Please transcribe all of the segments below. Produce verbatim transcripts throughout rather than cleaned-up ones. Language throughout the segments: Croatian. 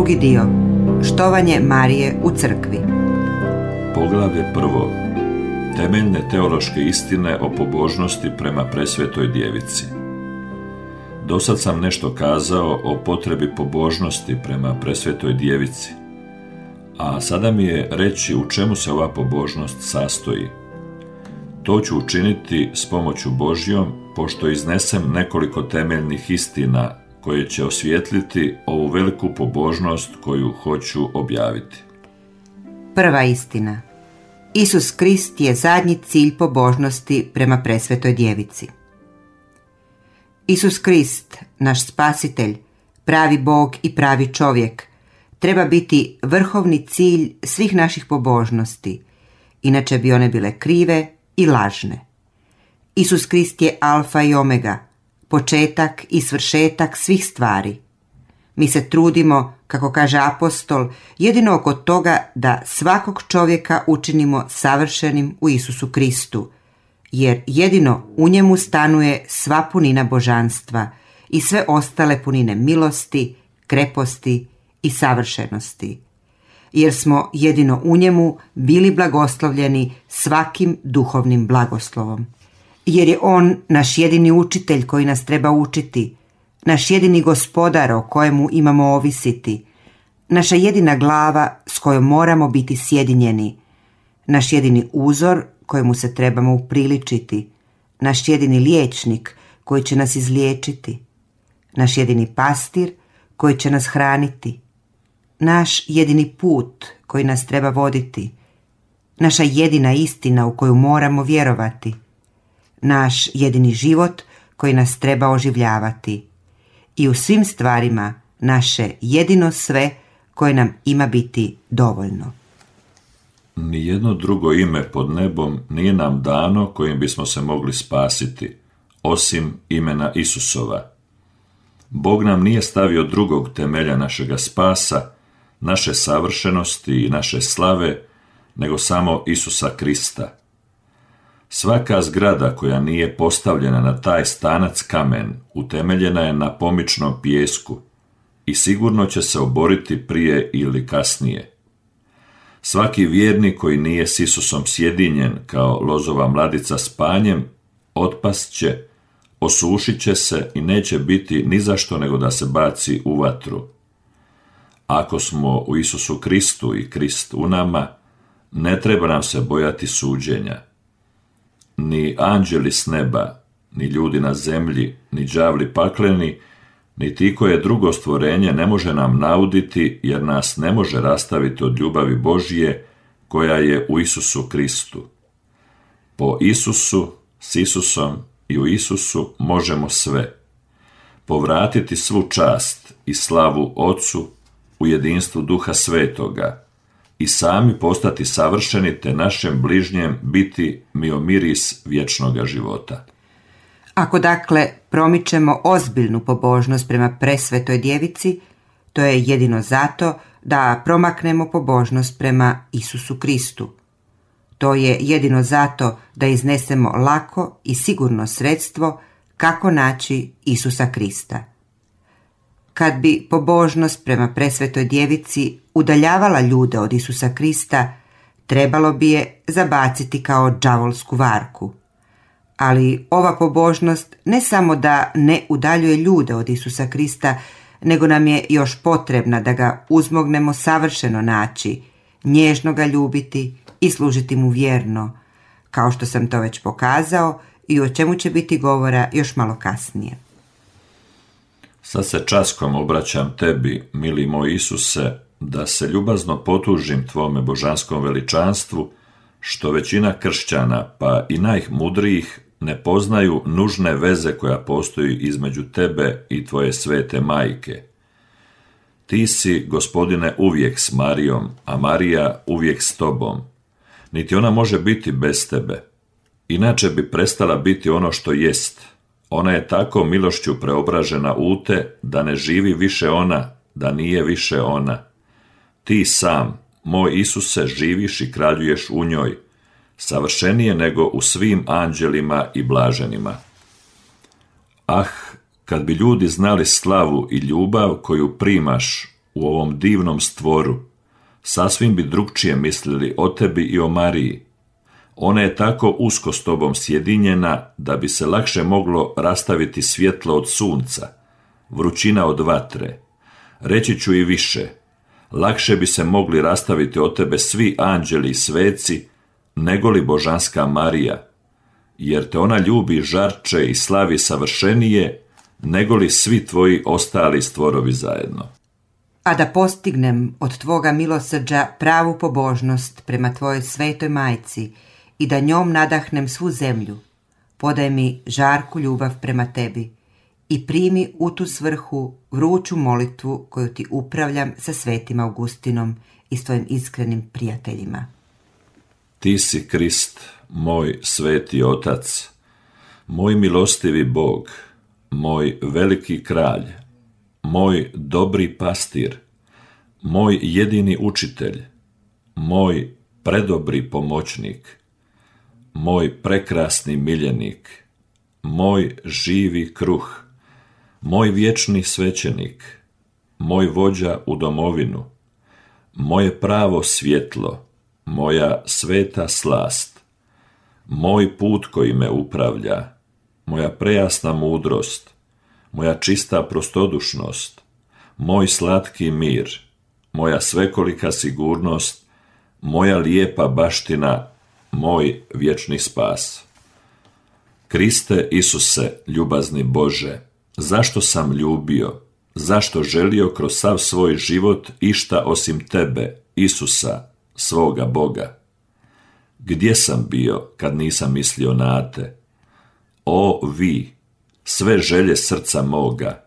Drugi dio. Štovanje Marije u crkvi. Poglavlje prvo. Temeljne teološke istine o pobožnosti prema presvetoj djevici. Dosad sam nešto kazao o potrebi pobožnosti prema presvetoj djevici, a sada mi je reći u čemu se ova pobožnost sastoji. To ću učiniti s pomoću Božjom, pošto iznesem nekoliko temeljnih istina koje će osvijetliti ovu veliku pobožnost koju hoću objaviti. Prva istina. Isus Krist je zadnji cilj pobožnosti prema presvetoj djevici. Isus Krist, naš spasitelj, pravi Bog i pravi čovjek, treba biti vrhovni cilj svih naših pobožnosti, inače bi one bile krive i lažne. Isus Krist je alfa i omega, početak i svršetak svih stvari. Mi se trudimo, kako kaže apostol, jedino oko toga da svakog čovjeka učinimo savršenim u Isusu Kristu, jer jedino u njemu stanuje sva punina božanstva i sve ostale punine milosti, kreposti i savršenosti. Jer smo jedino u njemu bili blagoslovljeni svakim duhovnim blagoslovom. Jer je on naš jedini učitelj koji nas treba učiti, naš jedini gospodar o kojemu imamo ovisiti, naša jedina glava s kojom moramo biti sjedinjeni, naš jedini uzor kojemu se trebamo upriličiti, naš jedini liječnik koji će nas izliječiti, naš jedini pastir koji će nas hraniti, naš jedini put koji nas treba voditi, naša jedina istina u koju moramo vjerovati, naš jedini život koji nas treba oživljavati i u svim stvarima naše jedino sve koje nam ima biti dovoljno. Nijedno drugo ime pod nebom nije nam dano kojim bismo se mogli spasiti, osim imena Isusova. Bog nam nije stavio drugog temelja našega spasa, naše savršenosti i naše slave, nego samo Isusa Krista. Svaka zgrada koja nije postavljena na taj stanac kamen utemeljena je na pomičnom pijesku i sigurno će se oboriti prije ili kasnije. Svaki vjernik koji nije s Isusom sjedinjen kao lozova mladica s panjem, otpast će, osušit će se i neće biti ni zašto nego da se baci u vatru. Ako smo u Isusu Kristu i Krist u nama, ne treba nam se bojati suđenja. Ni anđeli s neba, ni ljudi na zemlji, ni đavli pakleni, niti koje drugo stvorenje ne može nam nauditi, jer nas ne može rastaviti od ljubavi Božje koja je u Isusu Kristu. Po Isusu, s Isusom i u Isusu možemo sve. Povratiti svu čast i slavu Otcu u jedinstvu Duha Svetoga i sami postati savršeni te našem bližnjem biti miomiris vječnoga života. Ako dakle promičemo ozbiljnu pobožnost prema presvetoj djevici, to je jedino zato da promaknemo pobožnost prema Isusu Kristu. To je jedino zato da iznesemo lako i sigurno sredstvo kako naći Isusa Krista. Kad bi pobožnost prema presvetoj djevici udaljavala ljude od Isusa Krista, trebalo bi je zabaciti kao đavolsku varku. Ali ova pobožnost ne samo da ne udaljuje ljude od Isusa Krista, nego nam je još potrebna da ga uzmognemo savršeno naći, nježno ga ljubiti i služiti mu vjerno, kao što sam to već pokazao i o čemu će biti govora još malo kasnije. Sad se časkom obraćam tebi, mili moj Isuse, da se ljubazno potužim tvome božanskom veličanstvu, što većina kršćana, pa i najmudrijih, ne poznaju nužne veze koja postoji između tebe i tvoje svete majke. Ti si, Gospodine, uvijek s Marijom, a Marija uvijek s tobom. Niti ona može biti bez tebe. Inače bi prestala biti ono što jest. Ona je tako milošću preobražena u te, da ne živi više ona, da nije više ona. Ti sam, moj Isuse, živiš i kraljuješ u njoj, savršenije nego u svim anđelima i blaženima. Ah, kad bi ljudi znali slavu i ljubav koju primaš u ovom divnom stvoru, sasvim bi drugčije mislili o tebi i o Mariji. Ona je tako usko s tobom sjedinjena da bi se lakše moglo rastaviti svjetlo od sunca, vrućina od vatre. Reći ću i više, lakše bi se mogli rastaviti od tebe svi anđeli i sveci, nego li božanska Marija, jer te ona ljubi žarče i slavi savršenije, nego li svi tvoji ostali stvorovi zajedno. A da postignem od tvoga milosrđa pravu pobožnost prema tvojoj svetoj majci i da njom nadahnem svu zemlju, podaj mi žarku ljubav prema tebi i primi u tu svrhu vruću molitvu koju ti upravljam sa svetim Augustinom i s tvojim iskrenim prijateljima. Ti si Krist, moj sveti Otac, moj milostivi Bog, moj veliki kralj, moj dobri pastir, moj jedini učitelj, moj predobri pomoćnik, moj prekrasni miljenik, moj živi kruh, moj vječni svećenik, moj vođa u domovinu, moje pravo svjetlo, moja sveta slast, moj put koji me upravlja, moja prejasna mudrost, moja čista prostodušnost, moj slatki mir, moja svekolika sigurnost, moja lijepa baština, moj vječni spas. Kriste Isuse, ljubazni Bože, zašto sam ljubio, zašto želio kroz sav svoj život išta osim tebe, Isusa, svoga Boga? Gdje sam bio kad nisam mislio na te? O vi, sve želje srca moga,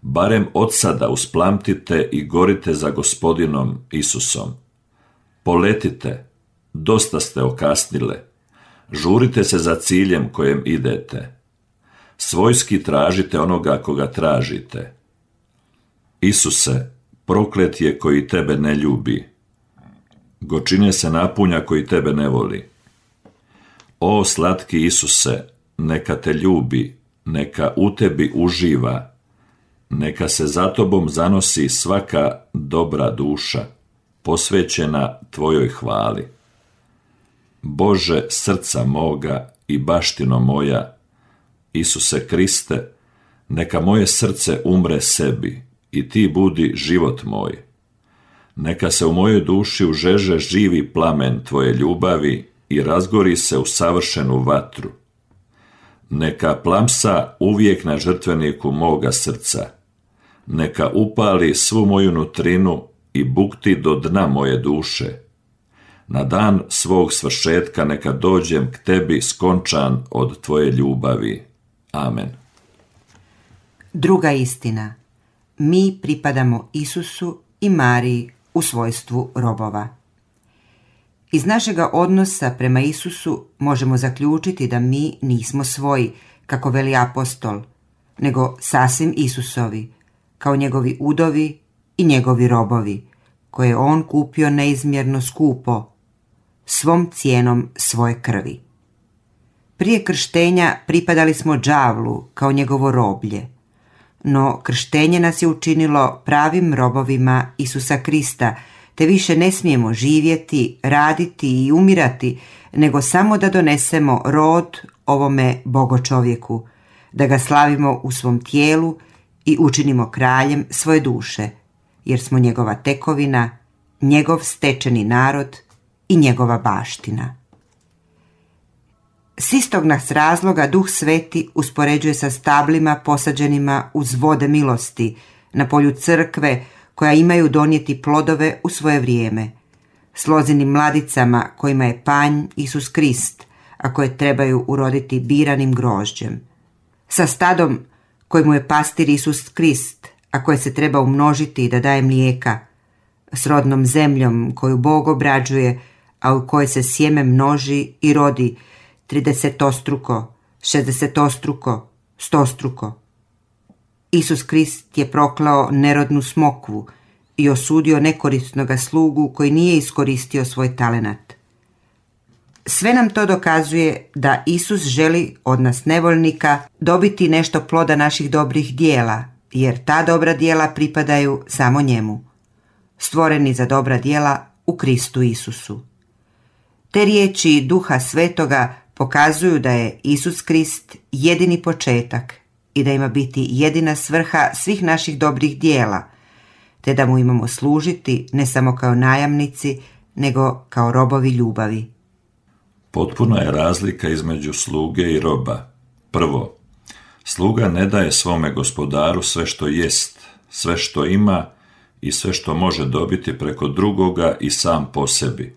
barem od sada usplamtite i gorite za Gospodinom Isusom. Poletite, dosta ste okasnile, žurite se za ciljem kojem idete. Svojski tražite onoga koga tražite. Isuse, proklet je koji tebe ne ljubi. Gorčine se napunja koji tebe ne voli. O slatki Isuse, neka te ljubi, neka u tebi uživa, neka se za tobom zanosi svaka dobra duša, posvećena tvojoj hvali. Bože srca moga i baštino moja, Isuse Kriste, neka moje srce umre sebi i ti budi život moj. Neka se u mojoj duši užeže živi plamen tvoje ljubavi i razgori se u savršenu vatru. Neka plamsa uvijek na žrtveniku moga srca, neka upali svu moju nutrinu i bukti do dna moje duše. Na dan svog svršetka neka dođem k tebi skončan od tvoje ljubavi. Amen. Druga istina. Mi pripadamo Isusu i Mariji u svojstvu robova. Iz našega odnosa prema Isusu možemo zaključiti da mi nismo svoji, kako veli apostol, nego sasvim Isusovi, kao njegovi udovi i njegovi robovi, koje je on kupio neizmjerno skupo, svom cijenom svoje krvi. Prije krštenja pripadali smo đavlu kao njegovo roblje, no krštenje nas je učinilo pravim robovima Isusa Krista, te više ne smijemo živjeti, raditi i umirati, nego samo da donesemo rod ovome bogočovjeku, da ga slavimo u svom tijelu i učinimo kraljem svoje duše, jer smo njegova tekovina, njegov stečeni narod i njegova baština. S istog nas razloga Duh Sveti uspoređuje sa stablima posađenima uz vode milosti na polju crkve, koja imaju donijeti plodove u svoje vrijeme, s lozinim mladicama kojima je panj Isus Krist, a koje trebaju uroditi biranim grožđem, sa stadom kojemu je pastir Isus Krist, a koje se treba umnožiti da daje mlijeka, s rodnom zemljom koju Bog obrađuje, a u kojoj se sjeme množi i rodi tridesetostruko, šezdesetostruko, stostruko. Isus Krist je proklao nerodnu smokvu i osudio nekorisnoga slugu koji nije iskoristio svoj talenat. Sve nam to dokazuje da Isus želi od nas nevoljnika dobiti nešto ploda naših dobrih dijela, jer ta dobra dijela pripadaju samo njemu. stvoreni za dobra djela u Kristu Isusu. Te riječi Duha Svetoga pokazuju da je Isus Krist jedini početak i da ima biti jedina svrha svih naših dobrih djela, te da mu imamo služiti ne samo kao najamnici, nego kao robovi ljubavi. Potpuna je razlika između sluge i roba. Prvo, sluga ne daje svome gospodaru sve što jest, sve što ima i sve što može dobiti preko drugoga i sam po sebi.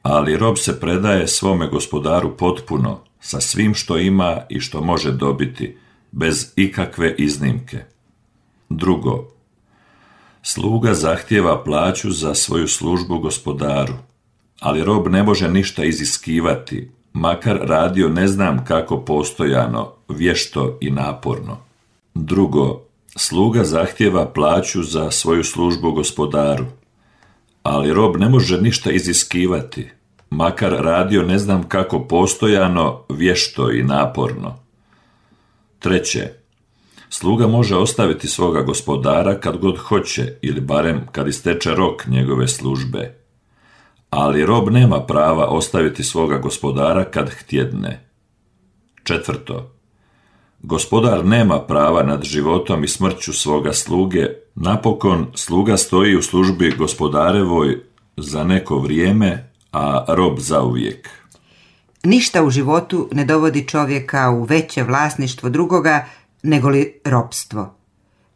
Ali rob se predaje svome gospodaru potpuno, sa svim što ima i što može dobiti, bez ikakve iznimke. Drugo, sluga zahtijeva plaću za svoju službu gospodaru, ali rob ne može ništa iziskivati, makar radio ne znam kako postojano, vješto i naporno. Drugo, sluga zahtijeva plaću za svoju službu gospodaru, ali rob ne može ništa iziskivati, makar radio ne znam kako postojano, vješto i naporno. Treće, sluga može ostaviti svoga gospodara kad god hoće ili barem kad isteče rok njegove službe, ali rob nema prava ostaviti svoga gospodara kad htjedne. Četvrto, gospodar nema prava nad životom i smrću svoga sluge, napokon sluga stoji u službi gospodarevoj za neko vrijeme, a rob zauvijek. Ništa u životu ne dovodi čovjeka u veće vlasništvo drugoga nego li ropstvo.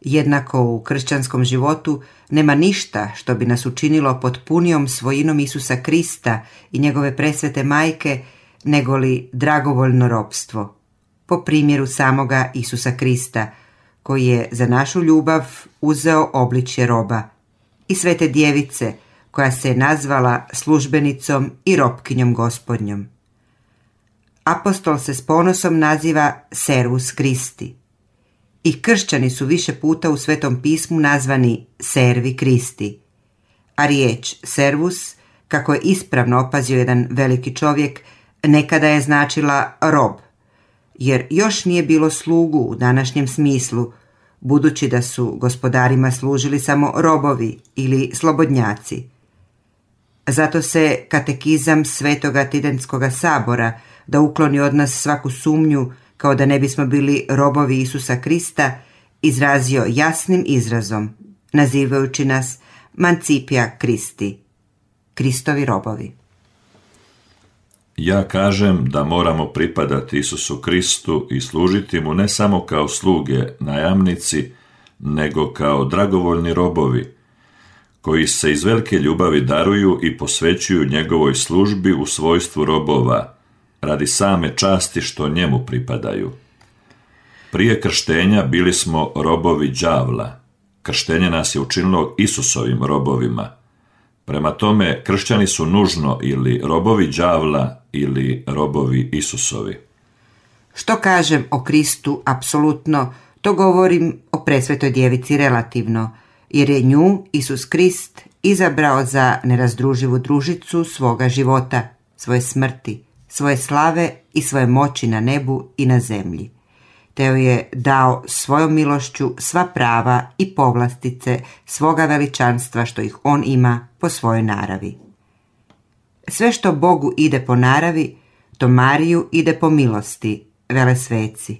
Jednako u kršćanskom životu nema ništa što bi nas učinilo potpunijom svojinom Isusa Krista i njegove presvete majke nego li dragovoljno ropstvo, po primjeru samoga Isusa Krista, koji je za našu ljubav uzeo obličje roba, i svete djevice, koja se je nazvala službenicom i ropkinjom Gospodnjom. Apostol se s ponosom naziva Servus Christi. I kršćani su više puta u Svetom pismu nazvani Servi Kristi, a riječ servus, kako je ispravno opazio jedan veliki čovjek, nekada je značila rob, jer još nije bilo slugu u današnjem smislu, budući da su gospodarima služili samo robovi ili slobodnjaci. Zato se katekizam Svetoga Tidentskoga sabora, da ukloni od nas svaku sumnju kao da ne bismo bili robovi Isusa Krista, izrazio jasnim izrazom, nazivajući nas Mancipia Christi, Kristovi robovi. Ja kažem da moramo pripadati Isusu Kristu i služiti mu ne samo kao sluge, najamnici, nego kao dragovoljni robovi, koji se iz velike ljubavi daruju i posvećuju njegovoj službi u svojstvu robova, radi same časti što njemu pripadaju. Prije krštenja bili smo robovi đavla. Krštenje nas je učinilo Isusovim robovima. Prema tome, kršćani su nužno ili robovi đavla ili robovi Isusovi. Što kažem o Kristu apsolutno, to govorim o presvetoj djevici relativno, jer je nju Isus Krist izabrao za nerazdruživu družicu svoga života, svoje smrti, svoje slave i svoje moći na nebu i na zemlji, te joj je dao svojom milošću sva prava i povlastice svoga veličanstva što ih on ima po svojoj naravi. Sve što Bogu ide po naravi, to Mariju ide po milosti, vele sveci.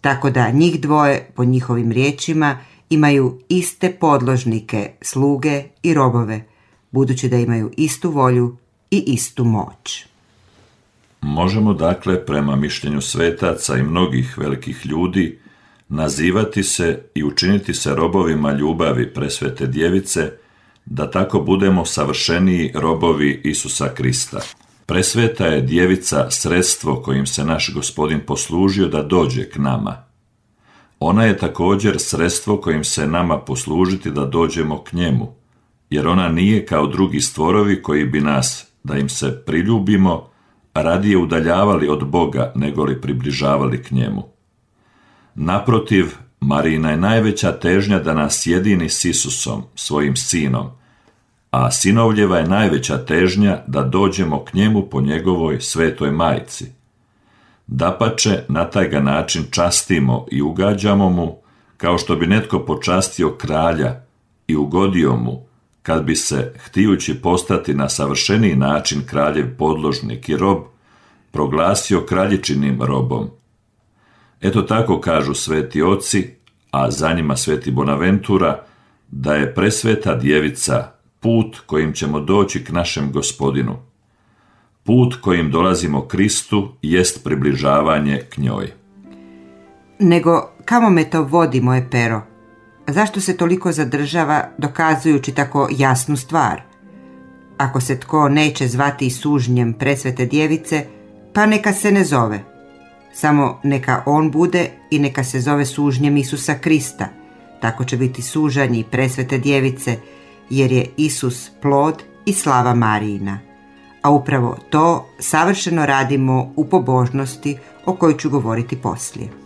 Tako da njih dvoje, po njihovim riječima, imaju iste podložnike, sluge i robove, budući da imaju istu volju i istu moć. Možemo dakle, prema mišljenju svetaca i mnogih velikih ljudi, nazivati se i učiniti se robovima ljubavi presvete djevice, da tako budemo savršeniji robovi Isusa Krista. Presveta je djevica sredstvo kojim se naš Gospodin poslužio da dođe k nama. Ona je također sredstvo kojim se nama poslužiti da dođemo k njemu, jer ona nije kao drugi stvorovi koji bi nas, da im se priljubimo, radije udaljavali od Boga nego li približavali k njemu. Naprotiv, Marijina je najveća težnja da nas jedini s Isusom, svojim sinom, a sinovljeva je najveća težnja da dođemo k njemu po njegovoj svetoj majci. Dapače, na taj ga način častimo i ugađamo mu, kao što bi netko počastio kralja i ugodio mu, kad bi se, htijući postati na savršeniji način kraljev podložnik i rob, proglasio kraljičinim robom. Eto tako kažu sveti oci, a za njima sveti Bonaventura, da je presveta djevica put kojim ćemo doći k našem Gospodinu. Put kojim dolazimo Kristu jest približavanje k njoj. Nego kamo me to vodi, moje pero? Zašto se toliko zadržava dokazujući tako jasnu stvar? Ako se tko neće zvati sužnjem presvete djevice, pa neka se ne zove. Samo neka on bude i neka se zove sužnjem Isusa Krista. Tako će biti sužanji presvete djevice, jer je Isus plod i slava Marijina. A upravo to savršeno radimo u pobožnosti o kojoj ću govoriti poslije.